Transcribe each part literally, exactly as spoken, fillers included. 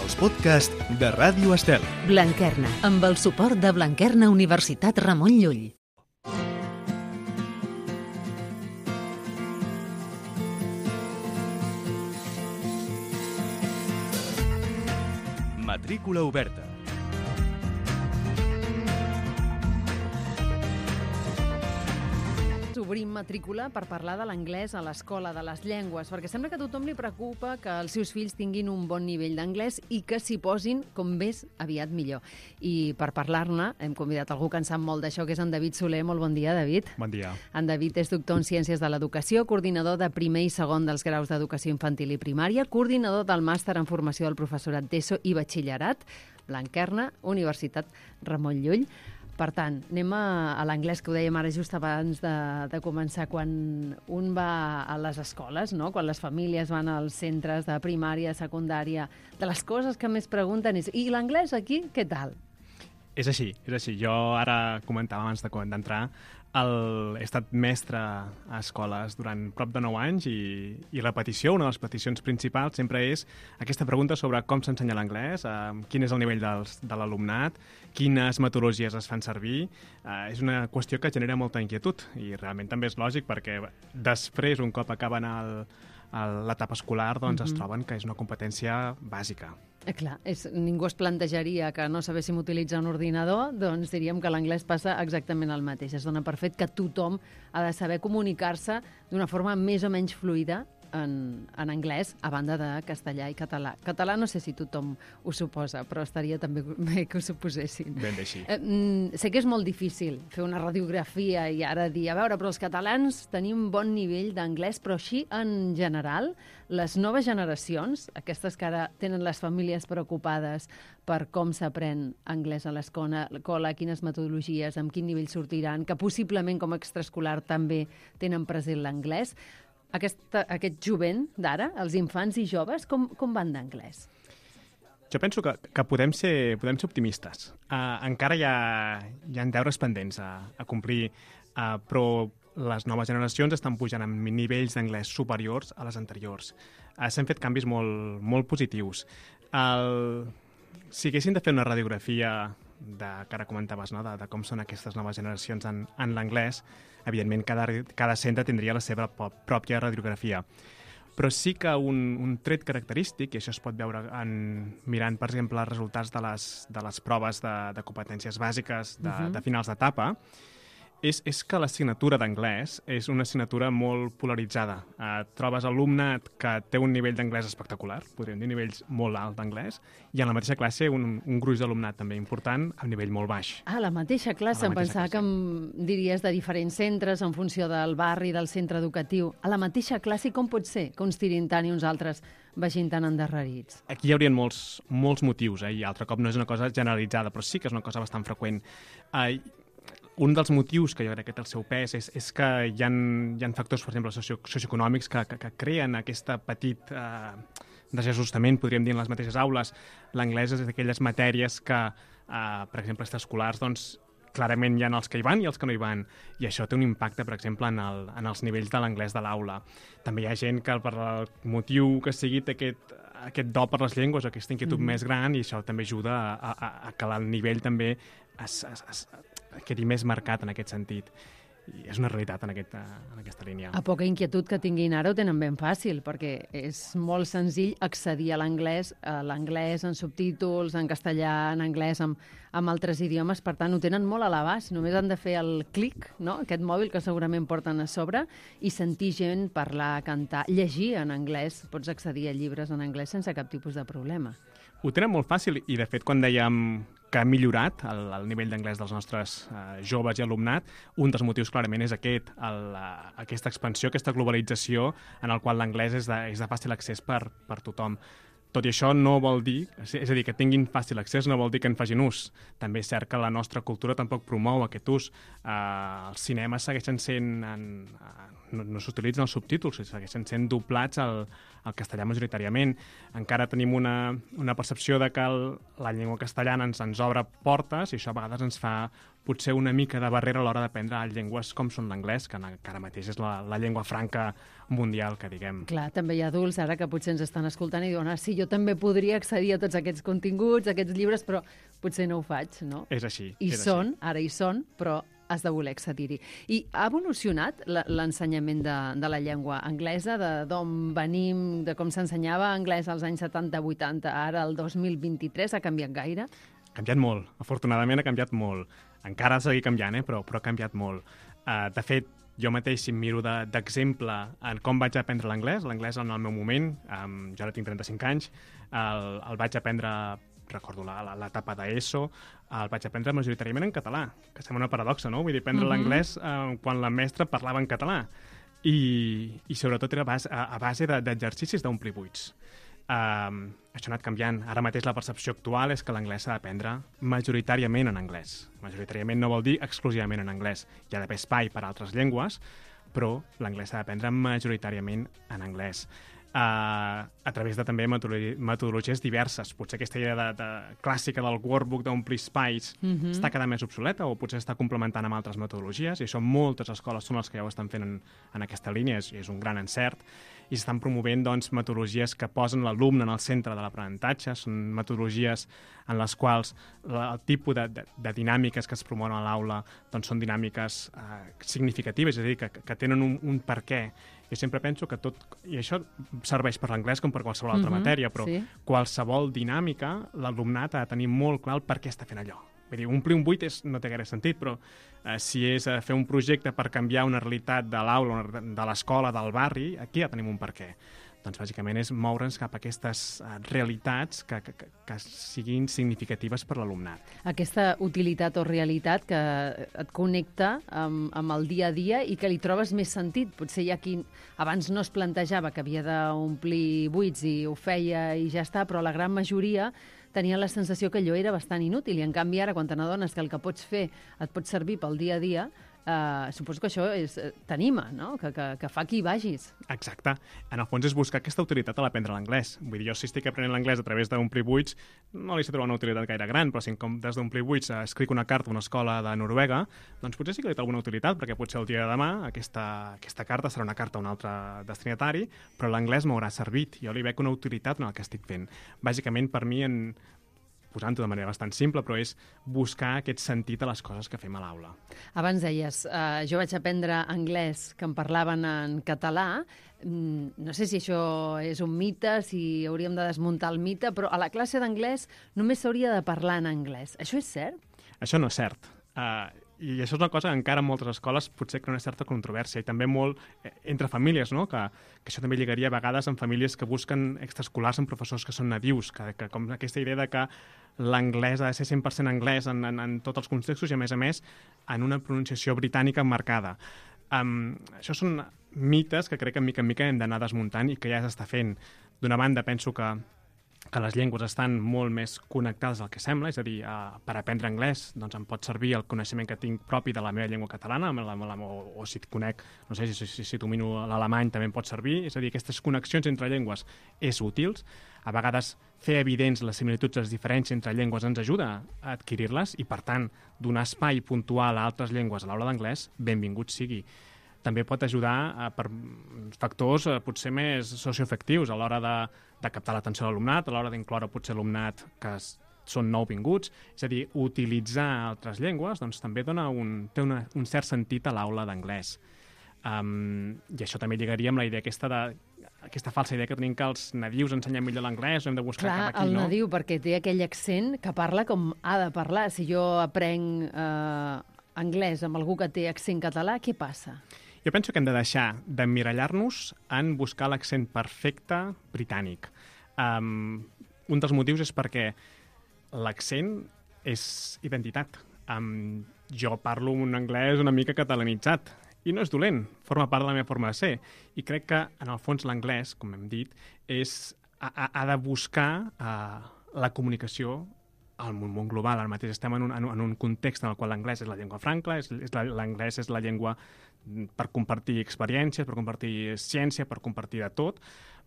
els podcasts de Ràdio Estel. Blanquerna, amb el suport de Blanquerna Universitat Ramon Llull. Matrícula oberta. Obrim matrícula per parlar de l'anglès a l'escola, de les llengües, perquè sembla que a tothom li preocupa que els seus fills tinguin un bon nivell d'anglès i que s'hi posin com més aviat millor. I per parlar-ne hem convidat algú que en sap molt d'això, que és en David Soler. Molt bon dia, David. Bon dia. En David és doctor en Ciències de l'Educació, coordinador de primer i segon dels graus d'Educació Infantil i Primària, coordinador del màster en formació del professorat d'ESO i batxillerat, Blanquerna, Universitat Ramon Llull. Per tant, anem a, a l'anglès, que ho dèiem ara just abans de, de començar. Quan un va a les escoles, no? Quan les famílies van als centres de primària, secundària, de les coses que més pregunten és i l'anglès aquí, què tal? És així, és així. Jo ara comentava abans d'entrar, el, he estat mestre a escoles durant prop de nou anys i, i la petició, una de les peticions principals sempre és aquesta pregunta sobre com s'ensenya l'anglès, eh, quin és el nivell dels, de l'alumnat, quines metodologies es fan servir. Eh, és una qüestió que genera molta inquietud i realment també és lògic perquè després, un cop acaben el, el, l'etapa escolar, doncs mm-hmm. es troben que és una competència bàsica. Eh, clar, és, ningú es plantejaria que no sabéssim utilitzar un ordinador, doncs diríem que l'anglès passa exactament el mateix. Es dona per fet que tothom ha de saber comunicar-se d'una forma més o menys fluida en, en anglès, a banda de castellà i català. Català no sé si tothom ho suposa, però estaria també bé que ho suposessin. Ben bé, sí. Eh, sé que és molt difícil fer una radiografia i ara dir, a veure, però els catalans tenim bon nivell d'anglès, però així en general, les noves generacions, aquestes que ara tenen les famílies preocupades per com s'aprèn anglès a l'escola, quines metodologies, amb quin nivell sortiran, que possiblement com a extraescolar també tenen present l'anglès, Aquesta, aquest jovent d'ara, els infants i joves, com, com van d'anglès? Jo penso que, que podem, ser, podem ser optimistes. Uh, encara hi ha, hi ha deures pendents a, a complir, uh, però les noves generacions estan pujant amb nivells d'anglès superiors a les anteriors. Uh, S'han fet canvis molt, molt positius. El... Si haguessin de fer una radiografia de, que ara comentaves, no? de, de com són aquestes noves generacions en, en l'anglès, evidentment cada, cada centre tindria la seva pròpia radiografia. Però sí que un, un tret característic, i això es pot veure en, mirant, per exemple, els resultats de les, de les proves de, de competències bàsiques de, uh-huh. de finals d'etapa, és, és que l'assignatura d'anglès és una assignatura molt polaritzada. Eh, trobes alumnat que té un nivell d'anglès espectacular, podríem dir nivells molt alts d'anglès, i en la mateixa classe un, un gruix d'alumnat també important amb nivell molt baix. Ah, la mateixa classe, em pensava que em diries de diferents centres en funció del barri, del centre educatiu. A la mateixa classe com pot ser que uns tirin tant i uns altres vagin tan endarrerits? Aquí hi haurien molts, molts motius, eh? I altre cop no és una cosa generalitzada, però sí que és una cosa bastant freqüent. Eh, Un dels motius que jo crec que té el seu pes és, és que hi ha, hi ha factors, per exemple, socio, socioeconòmics que, que, que creen aquesta petit eh, desajustament, podríem dir, en les mateixes aules. L'anglès és d'aquelles matèries que, eh, per exemple, extraescolars, doncs, clarament hi ha els que hi van i els que no hi van, i això té un impacte, per exemple, en, el, en els nivells de l'anglès de l'aula. També hi ha gent que, per el motiu que sigui, té aquest, aquest do per les llengües, aquesta inquietud mm. més gran, i això també ajuda a, a, a que el nivell també es, es, es, quedi més marcat en aquest sentit. I és una realitat en aquesta, en aquesta línia. A poca inquietud que tinguin ara ho tenen ben fàcil, perquè és molt senzill accedir a l'anglès, a l'anglès en subtítols, en castellà, en anglès, amb, amb altres idiomes, per tant ho tenen molt a l'abast, només han de fer el clic, no? Aquest mòbil que segurament porten a sobre, i sentir gent parlar, cantar, llegir en anglès, pots accedir a llibres en anglès sense cap tipus de problema. Ho tenen molt fàcil, i de fet quan dèiem que ha millorat el, el nivell d'anglès dels nostres eh, joves i alumnat, un dels motius clarament és aquest, el, uh, aquesta expansió, aquesta globalització en el qual l'anglès és de, és de fàcil accés per, per tothom. Tot i això no vol dir, és a dir, que tinguin fàcil accés no vol dir que en facin ús. També és cert que la nostra cultura tampoc promou aquest ús. Eh, els cinemes segueixen sent, en, no, no s'utilitzen els subtítols, segueixen sent doblats al, al castellà majoritàriament. Encara tenim una, una percepció de que el, la llengua castellana ens, ens obre portes i això a vegades ens fa potser una mica de barrera a l'hora d'aprendre llengües com són l'anglès, que encara mateix és la, la llengua franca mundial, que diguem. Clar, també hi ha adults ara que potser ens estan escoltant i diuen, ah, sí, jo també podria accedir a tots aquests continguts, a aquests llibres, però potser no ho faig, no? És així. I és són, així. ara hi són, però has de voler accedir-hi. I ha evolucionat l'ensenyament de, de la llengua anglesa, d'on venim, de com s'ensenyava anglès als anys setanta vuitanta, ara el dos mil vint-i-tres, ha canviat gaire? Ha canviat molt. Afortunadament ha canviat molt. Encara ha de seguir canviant, eh? però, però ha canviat molt. Uh, de fet, jo mateix, si em miro d'exemple de, en com vaig aprendre l'anglès, l'anglès en el meu moment, um, jo ara tinc trenta-cinc anys, el, el vaig aprendre, recordo l'etapa d'ESO, el vaig aprendre majoritàriament en català, que sembla una paradoxa, no? Vull dir, aprendre mm -hmm. l'anglès uh, quan la mestra parlava en català. I, i sobretot era a base, a, a base d'exercicis d'omplir buits. Uh, això ha anat canviant. Ara mateix la percepció actual és que l'anglès s'ha d'aprendre majoritàriament en anglès. Majoritàriament no vol dir exclusivament en anglès. Hi ha d'haver espai per a altres llengües, però l'anglès s'ha d'aprendre majoritàriament en anglès. Uh, a través de també metodologies diverses. Potser aquesta idea de, de clàssica del workbook d'omplir espais mm-hmm. està quedant més obsoleta o potser està complementant amb altres metodologies, i això moltes escoles són les que ja ho estan fent en, en aquesta línia, és, és un gran encert, i s'estan promovent doncs, metodologies que posen l'alumne en el centre de l'aprenentatge. Són metodologies en les quals la, el tipus de, de, de dinàmiques que es promouen a l'aula doncs, són dinàmiques eh, significatives, és a dir, que, que tenen un, un per què. Jo sempre penso que tot, i això serveix per l'anglès com per qualsevol altra mm-hmm, matèria, però sí. qualsevol dinàmica, l'alumnat ha de tenir molt clar el per què està fent allò. Vull dir, omplir un buit és, no té gaire sentit, però eh, si és eh, fer un projecte per canviar una realitat de l'aula, de l'escola, del barri, aquí ja tenim un per què. Doncs bàsicament és moure'ns cap a aquestes uh, realitats que, que, que siguin significatives per l'alumnat. Aquesta utilitat o realitat que et connecta amb, amb el dia a dia i que li trobes més sentit. Potser hi ha qui abans no es plantejava que havia d'omplir buits i ho feia i ja està, però la gran majoria tenia la sensació que allò era bastant inútil, i en canvi ara, quan te n'adones que el que pots fer et pot servir pel dia a dia, Uh, suposo que això és t'anima, no? Que, que, que fa que hi vagis. Exacte. En el fons és buscar aquesta utilitat a l'aprendre l'anglès. Vull dir, jo si estic aprenent l'anglès a través d'omplir buits, no li sé trobar una utilitat gaire gran, però si en comptes d'omplir buits escric una carta a una escola de Noruega, doncs potser sí que li té alguna utilitat, perquè potser el dia de demà aquesta, aquesta carta serà una carta a un altre destinatari, però l'anglès m'haurà servit. Jo li veig una utilitat en el que estic fent. Bàsicament, per mi, en posant-ho de manera bastant simple, però és buscar aquest sentit a les coses que fem a l'aula. Abans deies, uh, jo vaig aprendre anglès que em parlaven en català. Mm, no sé si això és un mite, si hauríem de desmuntar el mite, però a la classe d'anglès només s'hauria de parlar en anglès. Això és cert? Això no és cert. Uh, I això és una cosa que encara en moltes escoles potser crea una certa controvèrsia, i també molt eh, entre famílies, no? que, que això també lligaria a vegades en famílies que busquen extraescolars amb professors que són nadius, que, que com aquesta idea de que l'anglès ha de ser cent per cent anglès en, en, en tots els contextos i, a més a més, en una pronunciació britànica marcada. Um, això són mites que crec que mica en mica hem d'anar desmuntant i que ja s'està fent. D'una banda, penso que que les llengües estan molt més connectades del que sembla, és a dir, uh, per aprendre anglès doncs em pot servir el coneixement que tinc propi de la meva llengua catalana, amb la, amb la, o, o si et conec, no sé, si, si, si domino l'alemany també em pot servir, és a dir, aquestes connexions entre llengües és útils. A vegades fer evidents les similituds i les diferències entre llengües ens ajuda a adquirir-les i, per tant, donar espai puntual a altres llengües a l'aula d'anglès, benvingut sigui. També pot ajudar a, per factors eh, potser més socioafectius a l'hora de, de captar l'atenció de l'alumnat, a l'hora d'incloure potser alumnat que es, són nouvinguts. És a dir, utilitzar altres llengües doncs, també dona un, té una, un cert sentit a l'aula d'anglès. Um, I això també lligaria amb la idea aquesta de aquesta falsa idea que tenim que els nadius ensenyen millor l'anglès, hem de buscar Clar, cap aquí, el no? nadiu, perquè té aquell accent que parla com ha de parlar. Si jo aprenc eh, anglès amb algú que té accent català, què passa? Jo penso que hem de deixar d'emmirallar-nos en buscar l'accent perfecte britànic. Um, un dels motius és perquè l'accent és identitat. Um, jo parlo un anglès una mica catalanitzat i no és dolent, forma part de la meva forma de ser. I crec que, en el fons, l'anglès, com hem dit, és, ha, ha de buscar uh, la comunicació al món global. Ara mateix estem en un, en un context en el qual l'anglès és la llengua franca, és, és la, l'anglès és la llengua per compartir experiències, per compartir ciència, per compartir de tot.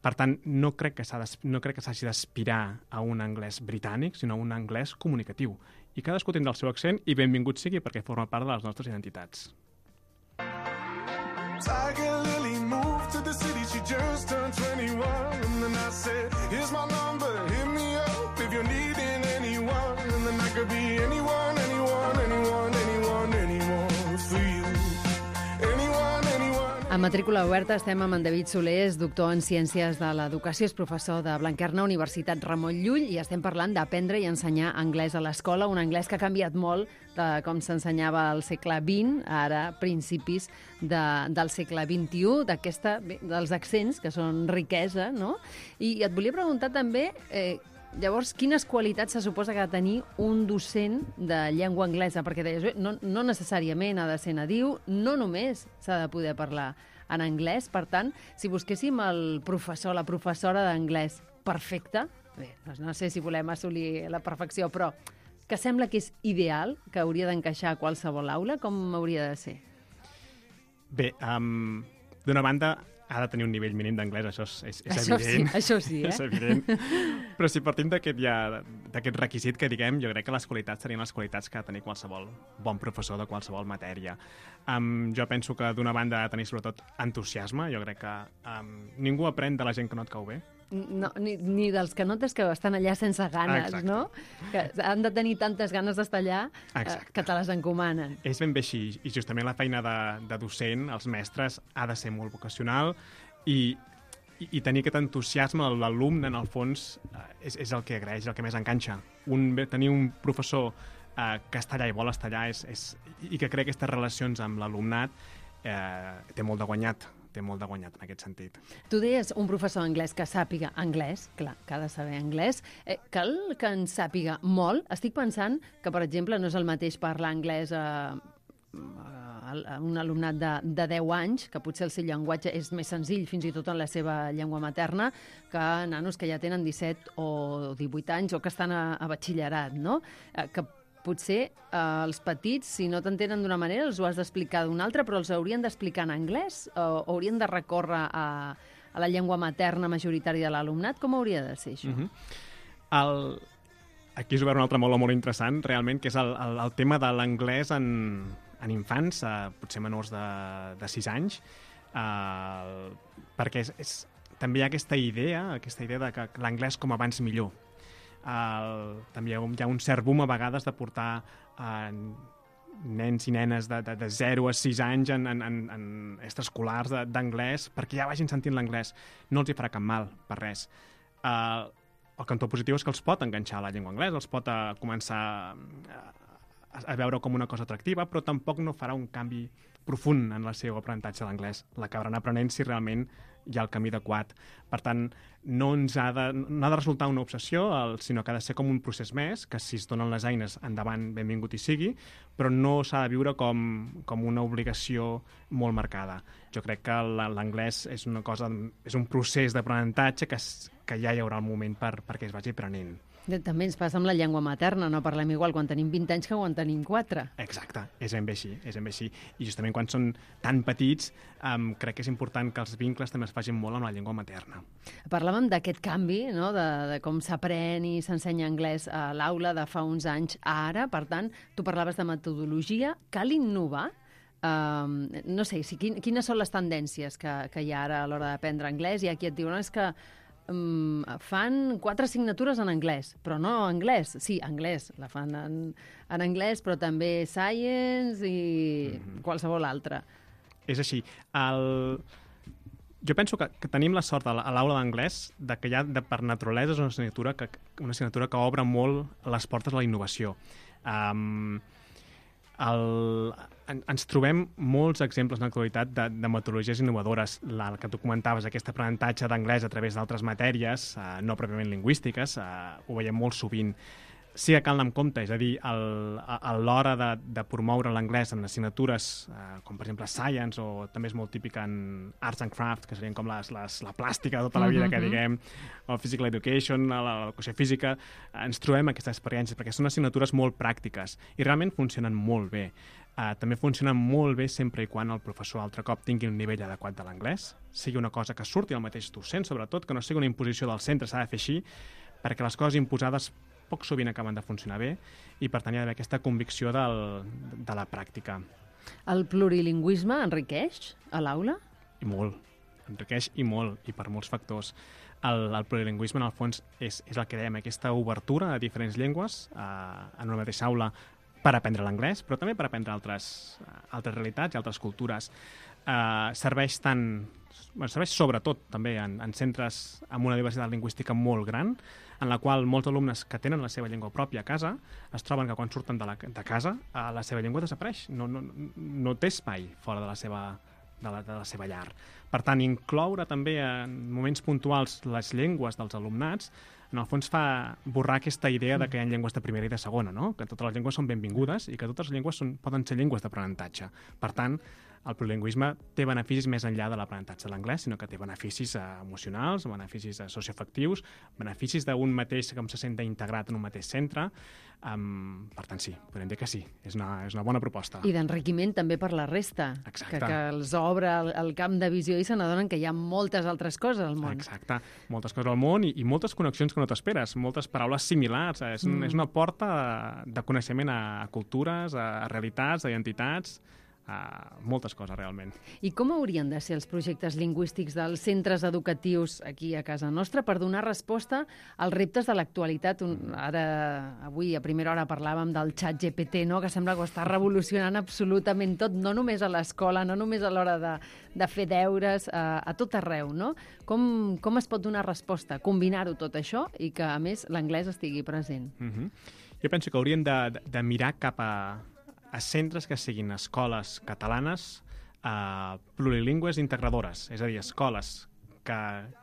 Per tant, no crec que s'ha no crec que s'hagi d'aspirar a un anglès britànic, sinó a un anglès comunicatiu. I cadascú tindrà el seu accent i benvingut sigui perquè forma part de les nostres identitats. Tiger Lily moved to the city, she just turned twenty-one. And then I said, here's my number, hit me up if you're needing anyone. And then I could be anyone, anyone, anyone, anyone, anyone for you. Anyone, anyone. A Matrícula Oberta estem amb en David Soler, és doctor en Ciències de l'Educació, és professor de Blanquerna, Universitat Ramon Llull, i estem parlant d'aprendre i ensenyar anglès a l'escola, un anglès que ha canviat molt de com s'ensenyava al segle vint, ara principis de, del segle vint-i-u, d'aquesta, dels accents, que són riquesa, no? I et volia preguntar també, eh, llavors, quines qualitats se suposa que ha de tenir un docent de llengua anglesa? Perquè deies, bé, no, no necessàriament ha de ser nadiu, no només s'ha de poder parlar en anglès. Per tant, si busquéssim el professor, la professora d'anglès perfecta, bé, no sé si volem assolir la perfecció, però que sembla que és ideal, que hauria d'encaixar a qualsevol aula, com hauria de ser? Bé, um, d'una banda, ha de tenir un nivell mínim d'anglès, això és, és, és això evident. Sí, això sí, eh? És evident. Però si partim d'aquest ja, d'aquest requisit que diguem, jo crec que les qualitats serien les qualitats que ha de tenir qualsevol bon professor de qualsevol matèria. Um, jo penso que d'una banda ha de tenir sobretot entusiasme. Jo crec que um, ningú aprèn de la gent que no et cau bé. No, ni, ni dels que notes que estan allà sense ganes, Exacte. no? Que han de tenir tantes ganes d'estar allà eh, que te les encomanen. És ben bé així, i justament la feina de, de docent, els mestres, ha de ser molt vocacional i, i, i tenir aquest entusiasme a l'alumne, en el fons, eh, és, és el que agraeix, el que més enganxa. Un, tenir un professor eh, que està allà i vol estar allà és, és, i que crea aquestes relacions amb l'alumnat eh, té molt de guanyat. té molt de guanyat en aquest sentit. Tu deies un professor anglès que sàpiga anglès, clar, que ha de saber anglès, eh, cal que en sàpiga molt? Estic pensant que, per exemple, no és el mateix parlar anglès a, a un alumnat de, de deu anys, que potser el seu llenguatge és més senzill, fins i tot en la seva llengua materna, que nanos que ja tenen disset o divuit anys o que estan a, a batxillerat, no? Eh, que potser eh, els petits, si no t'entenen d'una manera, els ho has d'explicar d'una altra, però els haurien d'explicar en anglès o haurien de recórrer a, a la llengua materna majoritària de l'alumnat? Com hauria de ser això? Uh-huh. el... Aquí és obert un altre molt, molt interessant, realment, que és el, el, el tema de l'anglès en, en infants, eh, potser menors de, de sis anys, eh, perquè és, és, també hi ha aquesta idea, aquesta idea de que l'anglès com abans millor. El, també hi ha, un, hi ha un cert boom a vegades de portar eh, nens i nenes de, de, de zero a sis anys en, en, en, en extraescolars d'anglès perquè ja vagin sentint l'anglès. No els hi farà cap mal, per res. Eh, el cantó positiu és que els pot enganxar a la llengua anglesa, els pot a començar a, a veure com una cosa atractiva, però tampoc no farà un canvi profund en el seu aprenentatge de l'anglès. L'acabaran aprenent si realment hi ha el camí adequat. Per tant, no ens ha de, no ha de resultar una obsessió, el, sinó que ha de ser com un procés més, que si es donen les eines, endavant, benvingut hi sigui, però no s'ha de viure com, com una obligació molt marcada. Jo crec que l'anglès és una cosa, és un procés d'aprenentatge que, que ja hi haurà el moment per, perquè es vagi aprenent. També ens passa amb la llengua materna, no parlem igual quan tenim vint anys que quan tenim quatre. Exacte, és ben bé així, és ben bé així. I justament quan són tan petits, um, crec que és important que els vincles també es facin molt amb la llengua materna. Parlàvem d'aquest canvi, no?, de, de com s'aprèn i s'ensenya anglès a l'aula de fa uns anys a ara. Per tant, tu parlaves de metodologia. Cal innovar? Um, no sé, si, quines són les tendències que, que hi ha ara a l'hora d'aprendre anglès? I aquí et diuen és que Um, fan quatre assignatures en anglès, però no anglès, sí, anglès, la fan en, en anglès, però també science i mm-hmm. qualsevol altra. És així. El... Jo penso que, que tenim la sort a l'aula d'anglès de que ja de, per naturalesa és una assignatura que, una assignatura que obre molt les portes a la innovació. Um, el, en, ens trobem molts exemples en l'actualitat de, de metodologies innovadores. La, el que tu comentaves, aquest aprenentatge d'anglès a través d'altres matèries, eh, no pròpiament lingüístiques, eh, ho veiem molt sovint. sí que cal anar amb compte, és a dir, el, a, a l'hora de, de promoure l'anglès en assignatures eh, com per exemple Science, o també és molt típic en Arts and Crafts, que serien com les, les, la plàstica de tota la vida, mm-hmm. que diguem, o Physical Education, l'educació física, ens trobem aquestes experiències, perquè són assignatures molt pràctiques i realment funcionen molt bé. Uh, també funcionen molt bé sempre i quan el professor altre cop tingui un nivell adequat de l'anglès, sigui una cosa que surti al mateix docent, sobretot, que no sigui una imposició del centre, s'ha de fer així, perquè les coses imposades poc sovint acaben de funcionar bé i per tant hi ha d'haver aquesta convicció del, de la pràctica. El plurilingüisme enriqueix a l'aula? I molt, enriqueix i molt, i per molts factors. El, el plurilingüisme, en el fons, és, és el que dèiem, aquesta obertura a diferents llengües eh, en una mateixa aula per aprendre l'anglès, però també per aprendre altres, altres realitats i altres cultures. Eh, serveix tant, bueno, serveix sobretot també en, en centres amb una diversitat lingüística molt gran, en la qual molts alumnes que tenen la seva llengua pròpia a casa es troben que quan surten de, la, de casa eh, la seva llengua desapareix, no, no, no té espai fora de la seva, de la, de la seva llar. Per tant, incloure també en moments puntuals les llengües dels alumnats en el fons fa borrar aquesta idea de que hi ha llengües de primera i de segona, no? Que totes les llengües són benvingudes i que totes les llengües són, poden ser llengües d'aprenentatge. Per tant, el plurilingüisme té beneficis més enllà de l'aprenentatge de l'anglès, sinó que té beneficis eh, emocionals, beneficis eh, socioafectius, beneficis d'un mateix que se sent integrat en un mateix centre. Um, per tant, sí, podem dir que sí, és una, és una bona proposta. I d'enriquiment també per la resta, Exacte. que, que els obre el, el camp de visió i se n'adonen que hi ha moltes altres coses al món. Exacte, moltes coses al món i, i moltes connexions que no t'esperes, moltes paraules similars. És, mm. és una porta de coneixement a, a cultures, a, a realitats, a identitats, a moltes coses realment. I com haurien de ser els projectes lingüístics dels centres educatius aquí a casa nostra per donar resposta als reptes de l'actualitat? Ara, avui a primera hora parlàvem del xat G P T, no? Que sembla que ho està revolucionant absolutament tot, no només a l'escola, no només a l'hora de, de fer deures, a, a tot arreu, no? Com, com es pot donar resposta? Combinar-ho tot això i que, a més, l'anglès estigui present. Mm-hmm. Jo penso que hauríem de, de, de mirar cap a a centres que siguin escoles catalanes eh, plurilingües integradores, és a dir, escoles que,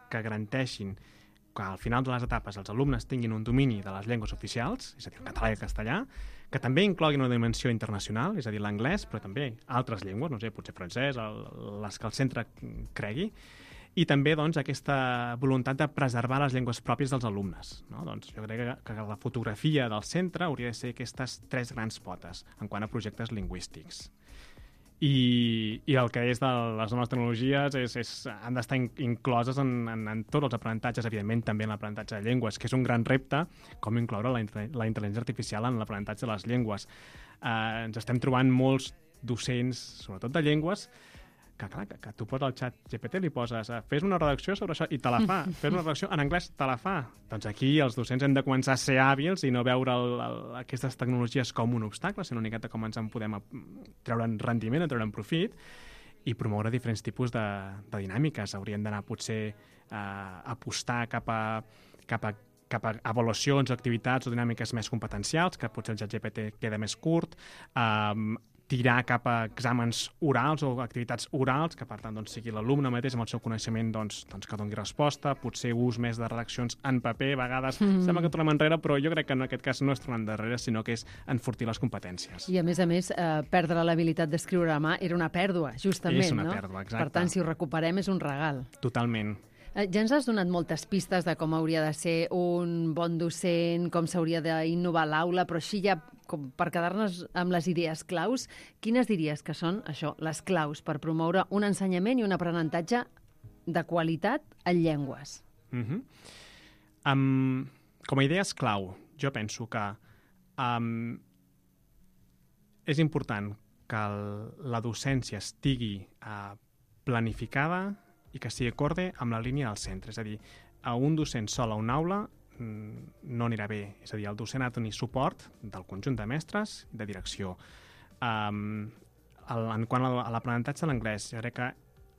que garanteixin que al final de les etapes els alumnes tinguin un domini de les llengües oficials, és a dir, el català i el castellà, que també incloguin una dimensió internacional, és a dir, l'anglès, però també altres llengües, no sé, potser francès, el, les que el centre cregui, i també doncs, aquesta voluntat de preservar les llengües pròpies dels alumnes. No? Doncs, jo crec que, que la fotografia del centre hauria de ser aquestes tres grans potes en quant a projectes lingüístics. I, i el que és de les noves tecnologies és, és, han d'estar in, incloses en, en, en tots els aprenentatges, evidentment també en l'aprenentatge de llengües, que és un gran repte, com incloure la, la intel·ligència artificial en l'aprenentatge de les llengües. Eh, ens estem trobant molts docents, sobretot de llengües, que, clar, que, que tu poses al xat G P T, li poses uh, fes una redacció sobre això i te la fa, fes una redacció en anglès, te la fa. Doncs aquí els docents hem de començar a ser hàbils i no veure el, el, aquestes tecnologies com un obstacle, sinó una miqueta com ens en podem treure'n rendiment, treure'n profit i promoure diferents tipus de, de dinàmiques. Hauríem d'anar potser a uh, apostar cap a, cap a cap a avaluacions o activitats o dinàmiques més competencials, que potser el xat G P T queda més curt, um, tirar cap a exàmens orals o activitats orals, que per tant doncs, sigui l'alumne mateix amb el seu coneixement doncs, doncs, que doni resposta, potser ús més de redaccions en paper, a vegades mm. sembla que tornem enrere, però jo crec que en aquest cas no és tornar enrere, sinó que és enfortir les competències. I a més a més, eh, perdre l'habilitat d'escriure a mà era una pèrdua, justament, és una no? pèrdua, exacte. Per tant, si ho recuperem és un regal. Totalment. Eh, ja ens has donat moltes pistes de com hauria de ser un bon docent, com s'hauria d'innovar l'aula, però així ja, com per quedar-nos amb les idees claus, quines diries que són, això, les claus per promoure un ensenyament i un aprenentatge de qualitat en llengües? Mm-hmm. um, com a idees clau, jo penso que um, és important que el, la docència estigui uh, planificada i que sigui acorde amb la línia del centre. És a dir, a un docent sol a una aula no anirà bé. És a dir, el docent ha de tenir suport del conjunt de mestres i de direcció. Um, el, en quant a l'aprenentatge de l'anglès, jo crec que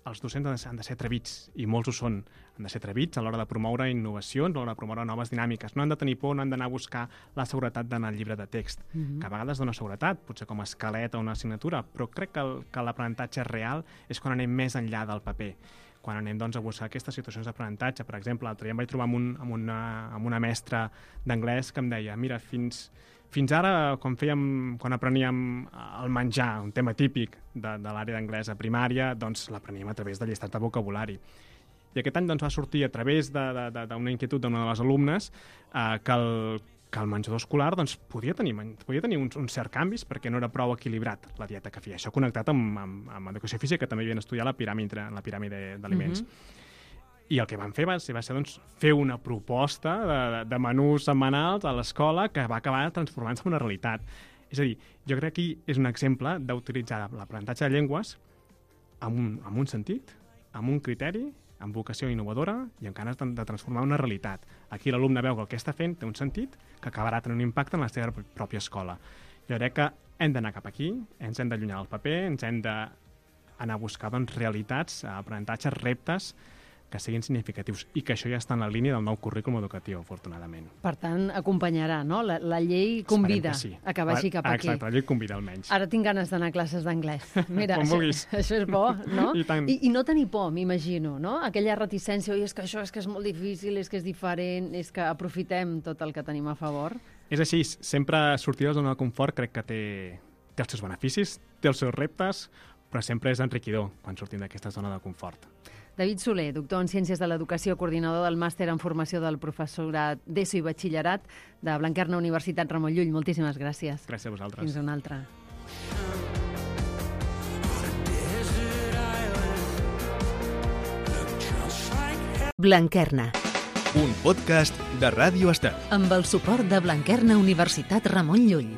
els docents han de, ser, han de ser atrevits, i molts ho són. Han de ser atrevits a l'hora de promoure innovacions, a l'hora de promoure noves dinàmiques. No han de tenir por, no han d'anar a buscar la seguretat d'anar al llibre de text, mm-hmm. que a vegades dona seguretat, potser com a esquelet o una assignatura, però crec que, el, que l'aprenentatge real és quan anem més enllà del paper. quan anem doncs, a buscar aquestes situacions d'aprenentatge. Per exemple, l'altre dia em vaig trobar amb, un, amb, una, amb una mestra d'anglès que em deia, mira, fins, fins ara, quan, fèiem, quan apreníem el menjar, un tema típic de, de l'àrea d'anglès a primària, doncs l'apreníem a través de llistat de vocabulari. I aquest any doncs, va sortir a través d'una inquietud d'una de les alumnes eh, que, el, que el menjador escolar doncs, podia tenir, podia tenir uns, uns certs canvis perquè no era prou equilibrat la dieta que feia. Això connectat amb, amb, amb educació física, que també havien estudiat la piràmide, la piràmide d'aliments. Mm-hmm. I el que van fer va ser, va ser doncs, fer una proposta de, de menús setmanals a l'escola que va acabar transformant-se en una realitat. És a dir, jo crec que aquí és un exemple d'utilitzar l'aprenentatge de llengües amb un, amb un sentit, amb un criteri, amb vocació innovadora i amb ganes de, de transformar una realitat. Aquí l'alumne veu que el que està fent té un sentit que acabarà tenint un impacte en la seva pròpia escola. Jo crec que hem d'anar cap aquí, ens hem d'allunyar del paper, ens hem d'anar a buscar doncs, realitats, aprenentatges, reptes que siguin significatius i que això ja està en la línia del nou currículum educatiu, afortunadament. Per tant, acompanyarà, no? La, la llei convida sí. a que vagi cap aquí. Exacte, la llei convida almenys. Ara tinc ganes d'anar a classes d'anglès. Mira, Com això, vulguis. això és bo, no? I tant. I, I no tenir por, m'imagino, no? Aquella reticència, oi, és que això és que és molt difícil, és que és diferent, és que aprofitem tot el que tenim a favor. És així, sempre sortir de la zona de confort crec que té, té els seus beneficis, té els seus reptes, però sempre és enriquidor quan sortim d'aquesta zona de confort. David Soler, doctor en Ciències de l'Educació, coordinador del màster en formació del professorat d'ESO i batxillerat de Blanquerna Universitat Ramon Llull. Moltíssimes gràcies. Gràcies a vosaltres. Fins una altra. Blanquerna, Un podcast de Ràdio Estel. amb el suport de Blanquerna Universitat Ramon Llull.